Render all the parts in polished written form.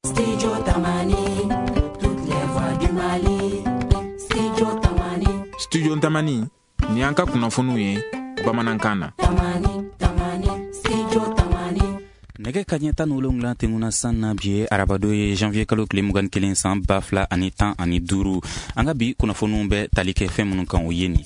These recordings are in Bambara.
Studio Tamani, toutes les voix du Mali. Studio Tamani. Studio Tamani, ni an ka kunnafoniw ye bamanankan na. Tamani, Tamani, Studio Tamani. Nɛgɛ kaɲɛ 17 tɛmɛna san na. Bi ye arabado ye, janvier kalo tile 21, san 2015. An ka bi kunnafoniw bɛ tali kɛ fɛn minnu kan, o ye nin: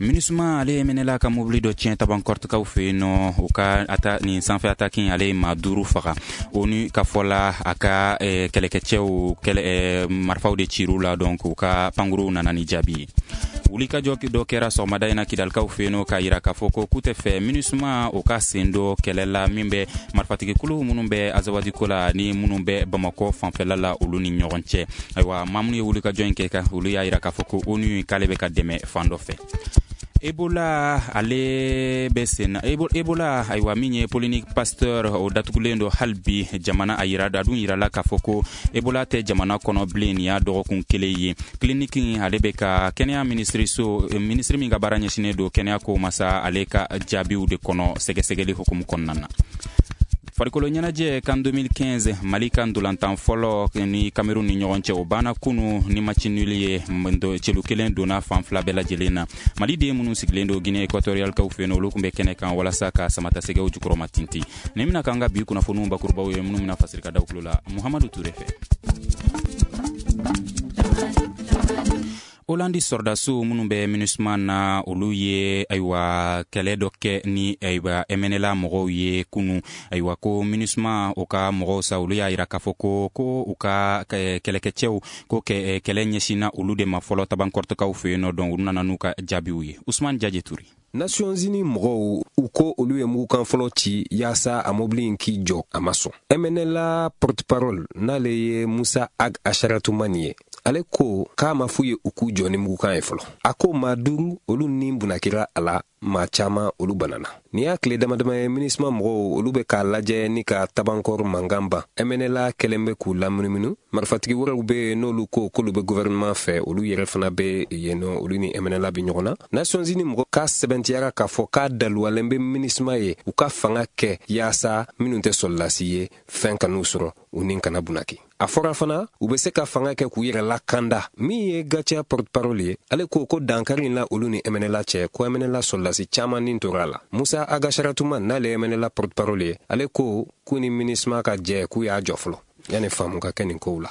MINUSMA ale ye MNLA ka mobili dɔ tiɲɛ Tabankɔrɔtikaw fɛ yen nɔ. U ka ata nin sanfɛ ataki, ale ye maa duuru faga. ONU ka fɔ la, a ka kɛlɛkɛcɛw kɛlɛ marifaw de cir'u la, donc u ka pankuruw nana ni jaabi ye. Wulikajɔ dɔ kɛra sɔgɔmada in na Kidalikaw fɛ yen nɔ, k'a yira k'a fɔ ko k'u tɛ fɛ MINUSMA o ka sen dɔ kɛlɛ la min bɛ marifatigikulu minnu bɛ Azawadi ko la ni minnu bɛ Bamakɔ fanfɛla la, olu ni ɲɔgɔn cɛ. Ayiwa, maa minnu ye wulikajɔ in kɛ kan, olu y'a yira k'a fɔ ko ONU k'ale bɛ ka dɛmɛ fan dɔ fɛ. Ebola ale bɛ sen na. Ebola, ayiwa, min ye Clinique Pasteur, o datugulen don hali bi. Jamana a yira a dun yirala k'a fɔ ko Ebola tɛ jamana kɔnɔ bilen. Nin y'a dɔgɔkun kelen ye. Clinique ale bɛ ka kɛnɛya minisiriso, minisiri min ka baara ɲɛsinnen don kɛnɛya ko masa, ale ka jaabiw de kɔnɔ sɛgɛsɛgɛli hukumu kɔnɔna na. Farikolo ɲɛnajɛ, CAN 2015, Mali ka ntolantan fɔlɔ ni Cameroun ni ɲɔgɔn cɛ, o banna kunu ni match nul ye. Celu kelen donna fan fila bɛɛ lajɛlen na. Mali den minnu sigilen don Guinée équatoriale kaw fɛ yen, olu tun bɛ kɛnɛ kan walasa ka samatasɛgɛw jukɔrɔma tintin. Nin bɛna k'an ka bi kunnafoniw bakurubaw ye, minnu bɛna fasiri ka da tulo la Muhamadu Ture fɛ. Holandi sɔrɔdasiw minnu bɛ MINUSMA na, olu ye, ayiwa, kɛlɛ dɔ kɛ ni, ayiwa, MNLA mɔgɔw ye kunu. Ayiwa, ko MINUSMA o ka mɔgɔw sa, olu y'a yira k'a fɔ ko u ka kɛlɛkɛcɛw ko kɛlɛ ɲɛsinna olu de ma fɔlɔ Tabankɔrɔtɔkaw fɛ yen nɔ. Donc olu nana n'u ka jaabiw ye. Usman Jaje Ture. Nations Unies mɔgɔw, u ko olu ye mugukan fɔlɔ ci yaasa a mobili in k'i jɔ, a ma sɔn. MNLA porte-parole, n'ale ye Musa Ag Asharatumani ye, ale ko k'a ma f'u ye u k'u jɔ ni mugukan ye fɔlɔ. A ko maa duuru, olu ni bunakira a la, maa caaman, olu banana. Nin y'a tile dama dama ye, MINUSMA mɔgɔw, olu bɛ k'a lajɛ ni ka Tabankɔrɔ mankan ban. MNLA kɛlen bɛ k'u lamunumunu. Marifatigi wɛrɛw be yen, n'olu ko k'olu bɛ gouvernement fɛ, olu yɛrɛ fana bɛ yen nɔ, olu ni MNLA bɛ ɲɔgɔn na. Nations Unies mɔgɔ k'a sɛbɛntiyara k'a fɔ k'a daluwalen bɛ MINUSMA ye u ka fanga kɛ yaasa minnu tɛ sɔrɔlasi ye, fɛn kan'u sɔrɔ, u ni kana bunaki. A fɔra fana u bɛ se ka fanga kɛ k'u yɛrɛ lakanda. Min ye GATIA porte-parole ye, ale ko ko dankari in la olu ni MNLA cɛ, ko MNLA sɔrɔlasi caaman nin tora a la. Musa Agasharatuma, n'ale ye MNLA porte-parole ye, ale ko k'u ni MINUSMA ka jɛ k'u y'a jɔ fɔlɔ yanni faamu ka kɛ nin kow la.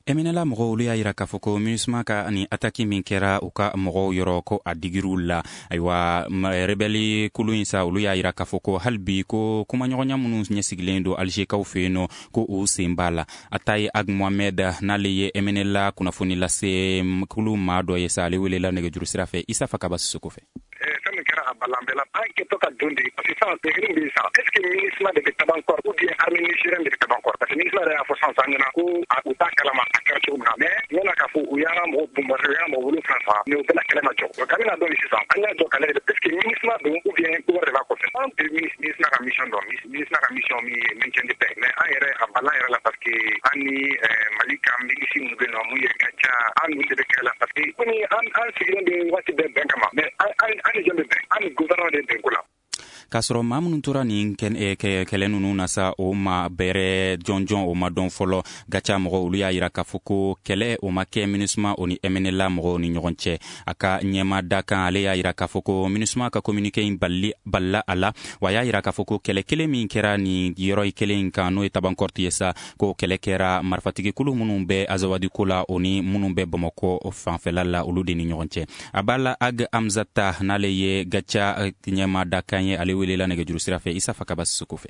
MNLA mɔgɔw, olu y'a yira k'a fɔ ko MINUSMA ka ni ataki min kɛra u ka mɔgɔw yɔrɔ, ko a digir'u la. Ayiwa, rebelle kulu in sa, olu y'a yira k'a fɔ ko hali bi ko kumaɲɔgɔnya minnu ɲɛsigilen don Alizekaw fɛ yen nɔ, ko u sen b'a la. Atayi Ag Mohamed, n'ale ye MNLA kunnafoni lase kulu maa dɔ ye sa, ale welela nɛgɛjuru sira fɛ Isa Fakaba Sisoko fɛ. Fɛn min kɛra a balan bɛɛ la, an kɛtɔ ka don de, parce que sisan degré bɛ yen sisan, est ce que MINUSMA de bɛ Tabankɔrɔ ou bien armée nigérienne de bɛ Tabankɔrɔ? Parce que MINUSMA yɛrɛ y'a fɔ sisan sisan ɲɛna ko u t'a kalama a kɛra cogo min na, mais yala k'a fɔ u y'an ka mɔgɔ bombarder, u y'an ka mɔgɔ 7 faga, mais o bɛɛ la kɛlɛ ma jɔ. Donc an bɛna dɔn sisan, an y'a jɔ k'a lajɛ, est ce que MINUSMA don ou bien ko wɛrɛ de b'a kɔfɛ? An tɛ MINUSMA ka mission dɔn. MINUSMA ka mission min ye maintien de paix, mais an yɛrɛ a balan yɛrɛ la, parce que an ni Mali ka milice minnu bɛ yen nɔ, mun ye ka ca, an n'olu de bɛ kɛlɛ la, parce que komi an sigilen bɛ waati bɛɛ bɛn kama, mais an ni jɔn bɛ bɛn? An ni gouvernement de bɛn ko la. K'a sɔrɔ maa minnu tora nin kɛlɛ ninnu na sa, o ma bɛrɛ jɔnjɔn o ma dɔn fɔlɔ. GATIA mɔgɔw, olu y'a yira k'a fɔ ko kɛlɛ o ma kɛ MINUSMA o ni MNLA mɔgɔw ni ɲɔgɔn cɛ. A ka ɲɛma da kan, ale y'a yira k'a fɔ ko MINUSMA ka communiqué in balili balila a la. Wa y'a yira k'a fɔ ko kɛlɛ kelen min kɛra nin yɔrɔ kelen in kan, n'o ye Tabankɔrɔti ye sa, ko kɛlɛ kɛra marifatigi kulu minnu bɛ Azawadi ko la, o ni minnu bɛ Bamakɔ fanfɛla la, olu de ni ɲɔgɔn cɛ. A b'a la Ag Amzata, n'ale ye GATIA ɲɛma dakan ye, ale welela nɛgɛjuru sira fɛ Isa Fakaba Sisoko fɛ.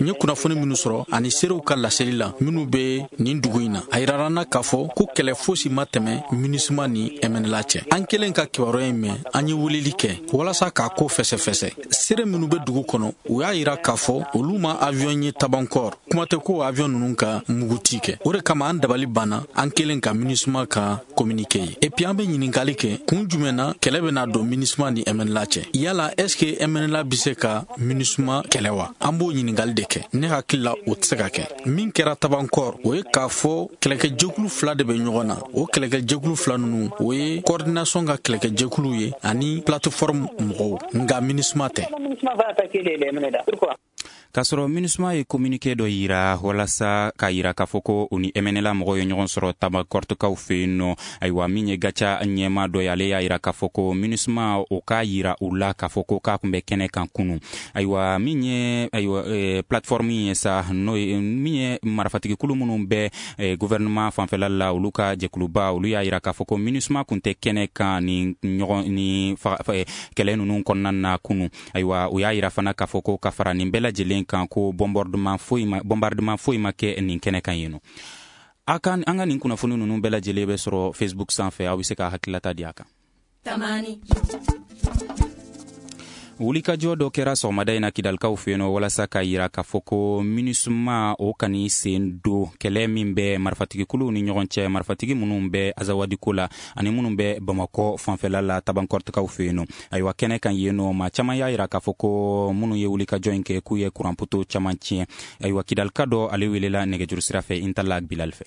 N ye kunnafoni minnu sɔrɔ ani seerew ka laseli la minnu bɛ nin dugu in na, a yirara n na k'a fɔ ko kɛlɛ fosi ma tɛmɛ MINUSMA ni MNLA cɛ. An kelen ka kibaruya in mɛn, an ye weleli kɛ walasa k'a ko fɛsɛfɛsɛ. Seere minnu bɛ dugu kɔnɔ, u y'a yira k'a fɔ olu ma avion ye Tabankɔr, kuma tɛ ko avion ninnu ka muguti kɛ. O de kama an dabali banna an kelen ka MINUSMA ka communiqué ye. Et puis an bɛ ɲininkali kɛ, kun jumɛn na kɛlɛ bɛna don MINUSMA ni MNLA cɛ? Yala est ce que MNLA bɛ se ka MINUSMA kɛlɛ wa? An b'o ɲininkali de kɛ. Ne hakili la, o tɛ se ka kɛ. Min kɛra Tabankɔr, o ye k'a fɔ kɛlɛkɛjɛkulu fila de bɛ ɲɔgɔn na. O kɛlɛkɛjɛkulu fila ninnu, o ye coordination ka kɛlɛkɛjɛkulu ye ani plateforme mɔgɔw, nka MINUSMA tɛ. K'a sɔrɔ MINUSMA ye communiqué dɔ yira walasa k'a yira k'a fɔ ko u ni MNLA mɔgɔw ye ɲɔgɔn sɔrɔ Tabankɔrɔtikaw fɛ yen nɔ. Ayiwa, min ye GATIA ɲɛma dɔ ye, ale y'a yira k'a fɔ ko MINUSMA o k'a yira u la k'a fɔ ko k'a tun bɛ kɛnɛ kan kunu. Ayiwa, min ye ayiwa plateforme ye sa, n'o ye min ye marifatigikulu minnu bɛ gouvernement fanfɛla la, olu ka jɛkuluba, olu y'a yira k'a fɔ ko MINUSMA tun tɛ kɛnɛ kan ni ɲɔgɔn ni kɛlɛ ninnu kɔnɔna na kunu. Ayiwa, u y'a yira fana k'a fɔ ko ka fara nin bɛɛ lajɛlen kan, ko bombardement foyi ma kɛ nin kɛnɛ kan yen nɔ. A kan an ka nin kunnafoni ninnu bɛɛ lajɛlen bɛ sɔrɔ Facebook sanfɛ, aw bɛ se ka hakililata di a kan. Tamani. Wulikajɔ dɔ kɛra sɔgɔmada in na Kidalikaw fɛ yen nɔ, walasa ka yira k'a fɔ ko MINUSMA o kan'i sen don kɛlɛ min bɛ marifatigikuluw ni ɲɔgɔn cɛ, marifatigi minnu bɛ Azawadiko la ani minnu bɛ Bamakɔ fanfɛla la, Tabankɔrɔtikaw fɛ yen nɔ. Ayiwa, kɛnɛ kan yen nɔ, maa caman y'a yira k'a fɔ ko minnu ye wulikajɔ in kɛ, k'u ye kuranpoto caman tiɲɛ. Ayiwa, Kidalika dɔ, ale welela nɛgɛjuru sira fɛ Intala Bilal fɛ.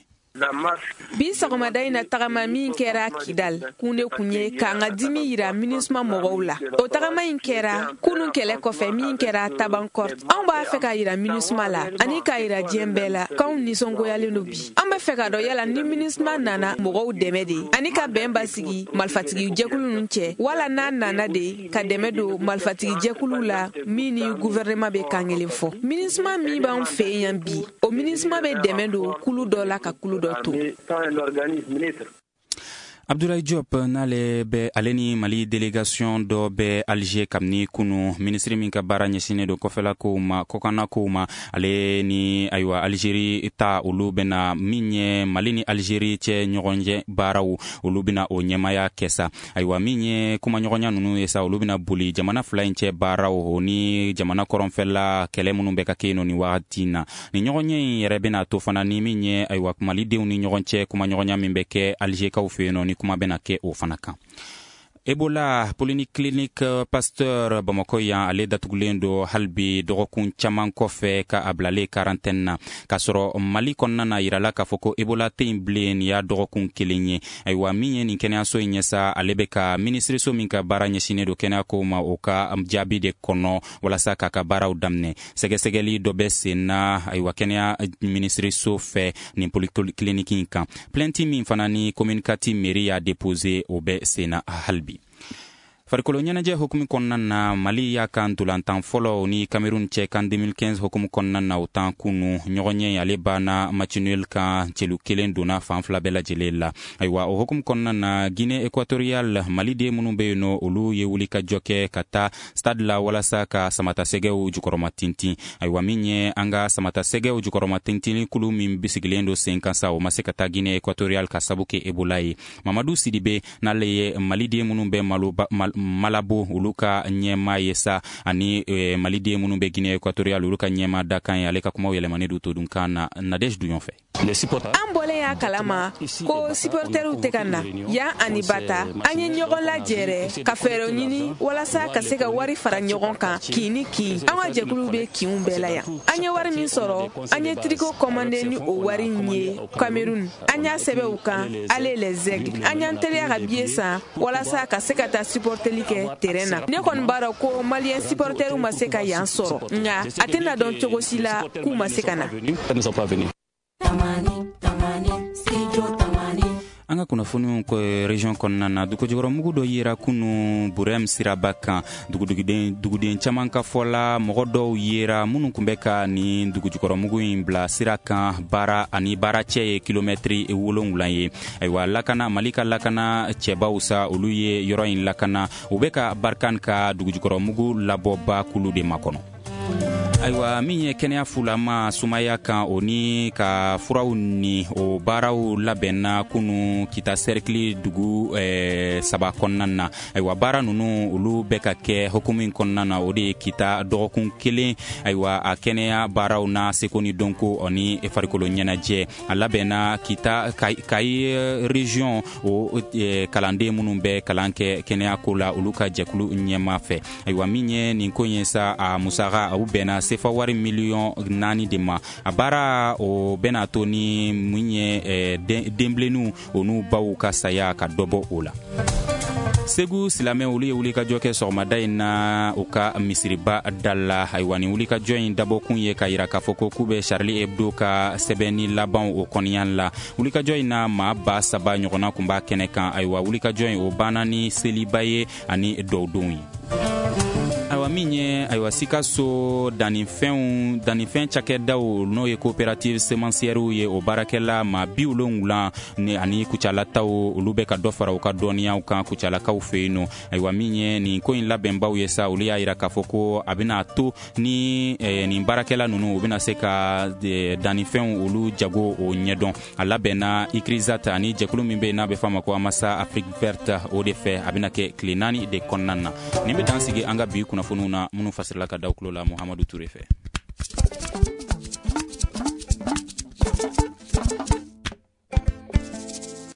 Bi sɔgɔmada in na, tagama min kɛra Kidal, kun de kun ye k'an ka dimi yira MINUSMA mɔgɔw la. O tagama in kɛra kunun kɛlɛ kɔfɛ min kɛra Tabankɔrt. Anw b'a fɛ ka yira MINUSMA la ani k'a yira diɲɛ bɛɛ la k'anw nisɔngoyalen don bi. An bɛ fɛ ka dɔn yala ni MINUSMA nana mɔgɔw dɛmɛ de ani ka bɛn basigi marifatigi jɛkulu ninnu cɛ, wala n'a nana de ka dɛmɛ don marifatigi jɛkulu la min ni gouvernement bɛ kan kelen fɔ. MINUSMA min b'an fɛ yan bi, o MINUSMA bɛ dɛmɛ don kulu dɔ la ka kulu dɔ to. Abdoulaye Diop, n'ale bɛ, ale ni Mali délégation dɔ bɛ Alger kabini kunu. Minisiri min ka baara ɲɛsinnen don kɔfɛla kow ma, kɔkanna kow ma, ale ni ayiwa Algérie ta, olu bɛna min ye Mali ni Algérie cɛ ɲɔgɔnjɛ baaraw, olu bɛna o ɲɛmaya kɛ sa. Ayiwa, min ye kumaɲɔgɔnya ninnu ye sa, olu bɛna boli jamana fila in cɛ baaraw o ni jamana kɔrɔnfɛla kɛlɛ minnu bɛ ka kɛ yen nɔ nin wagati in na. Nin ɲɔgɔnye in yɛrɛ bɛna to fana ni min ye ayiwa Malidenw ni ɲɔgɔn cɛ kumaɲɔgɔnya min bɛ kɛ Algerkaw fɛ yen nɔ, ni kuma bɛna kɛ o fana kan. Ebola polyclinique Pasteur Bamakɔ yan, ale datugulen don hali bi dɔgɔkun caman kɔfɛ ka a bilalen quarantaine na, k'a sɔrɔ Mali kɔnɔna na, yirala k'a fɔ ko Ebola tɛ yen bilen, nin y'a dɔgɔkun kelen ye. Ayiwa, min ye nin kɛnɛyaso in ye sa, ale bɛ ka minisiriso min ka baara ɲɛsinnen don kɛnɛya kow ma, o ka jaabi de kɔnɔ walasa k'a ka baaraw daminɛ. Sɛgɛsɛgɛli dɔ bɛ sen na, ayiwa, kɛnɛya minisiriso fɛ nin polyclinique in kan. Plainte min fana ni commune 4 mairie y'a déposé, o bɛ sen na hali bi. Farikolo ɲɛnajɛ hukumu kɔnɔna na, Mali y'a kan ntolantan fɔlɔ ni Cameroun cɛ kan 2015 hukumu kɔnɔna na, o tan kunu. Ɲɔgɔnɲɛ ale banna match nul kan, celu kelen donna fan fila bɛɛ lajɛlen la. Ayiwa, o hukumu kɔnɔna na, Guinée équatoriale Maliden minnu bɛ yen nɔ, olu ye wuli ka jɔ kɛ ka taa stade la walasa ka samatasɛgɛw jukɔrɔma tintin. Ayiwa, min ye an ka samatasɛgɛw jukɔrɔma tintin kulu min sigilen don sen kan sa, o ma se ka taa Guinée équatoriale ka sabu kɛ Ebola ye. Mamadu Sidibe, n'ale ye Maliden minnu bɛ malo Malabo, olu ka ɲɛma ye sa, ani Maliden minnu bɛ Guinée équatoriale, olu ka ɲɛma dakan ye, ale ka kumaw yɛlɛmani don todunkan na Nadège Duyon fɛ. An bɔlen y'a kalama ko supporteriw tɛ ka na yan ani Bata, an ye ɲɔgɔn lajɛrɛ ka fɛɛrɛw ɲini walasa ka se ka wari fara ɲɔgɔn kan kin ni kin. An ka jɛkulu bɛ kinw bɛɛ la yan. An ye wari min sɔrɔ, an ye tricot commandé ni o wari in ye Cameroun. An y'a sɛbɛn u kan "Allez les aigles". An y'an teliya ka billet san walasa ka se ka taa supporteli kɛ terrain na. Ne kɔni b'a dɔn ko Malien supporteriw ma se ka yan sɔrɔ, nka a tɛna dɔn cogo si la k'u ma se ka na. Tamani, Tamani, Studio Tamani. An ka kunnafoniw région kɔnɔna na, dugujukɔrɔmugu dɔ yera kunu Burɛm siraba kan. Duguden caman ka fɔ la, mɔgɔ dɔw yera minnu tun bɛ ka nin dugujukɔrɔmugu in bila sira kan baara ani baara cɛ ye kilomɛtiri 7 ye. Ayiwa, lakana, Mali ka lakana cɛbaw sa, olu ye yɔrɔ in lakana, u bɛ ka Barkhane ka dugujukɔrɔmugu labɔba kulu de makɔnɔ. Ayiwa, min ye kɛnɛya fulama sumaya kan, o ni ka furaw ni o baaraw labɛnna kunu Kita cercle dugu saba kɔnɔna na. Ayiwa, baara ninnu, olu bɛ ka kɛ hukumu in kɔnɔna na, o de ye Kita dɔgɔkun kelen. Ayiwa, a kɛnɛya baaraw n'a seko ni dɔnko ani farikolo ɲɛnajɛ, a labɛnna Kita Kayi région o kalanden minnu bɛ kalan kɛ kɛnɛya ko la, olu ka jɛkulu ɲɛma fɛ. Ayiwa, min ye nin ko in ye sa, a musaka u bɛnna sefa wari miliyɔn 4 de ma. A baara o bɛna to ni mun ye, denbilenninw o n'u baw ka saya ka dɔ bɔ o la. Segu silamɛ, olu ye wulikajɔ kɛ sɔgɔmada in na u ka misiriba da la. Ayiwa, nin wulikajɔ in dabɔkun ye ka yira k'a fɔ ko k'u bɛ Charlie Hebdo ka sɛbɛnni laban o kɔniya la. Wulikajɔ in na, maa 3000 ɲɔgɔnna kun b'a kɛnɛ kan. Ayiwa, wulikajɔ in, o banna ni seliba ye ani dɔwdenw ye. Ayiwa, min ye, ayiwa, Sikaso dannifɛnw, dannifɛn cakɛdaw, n'o ye coopérative semencière ye, o baarakɛla maa 70 ni ani Kucalataw, olu bɛ ka dɔ fara u ka dɔnniyaw kan Kucalakaw fɛ yen nɔ. Ayiwa, min ye nin ko in labɛnbaw ye sa, olu y'a yira k'a fɔ ko a bɛna to ni nin baarakɛla ninnu, u bɛna se ka dannifɛnw olu jago o ɲɛdɔn. A labɛnna ICRISAT ani jɛkulu min bɛ yen n'a bɛ f'a ma ko Amasa Afrique Verte, o de fɛ. A bɛna kɛ tile 4 de kɔnɔna na. Nin bɛ dan sigi an ka bi kunnafoniw na, minnu fasirila ka da tulo la Muhamadu Ture fɛ.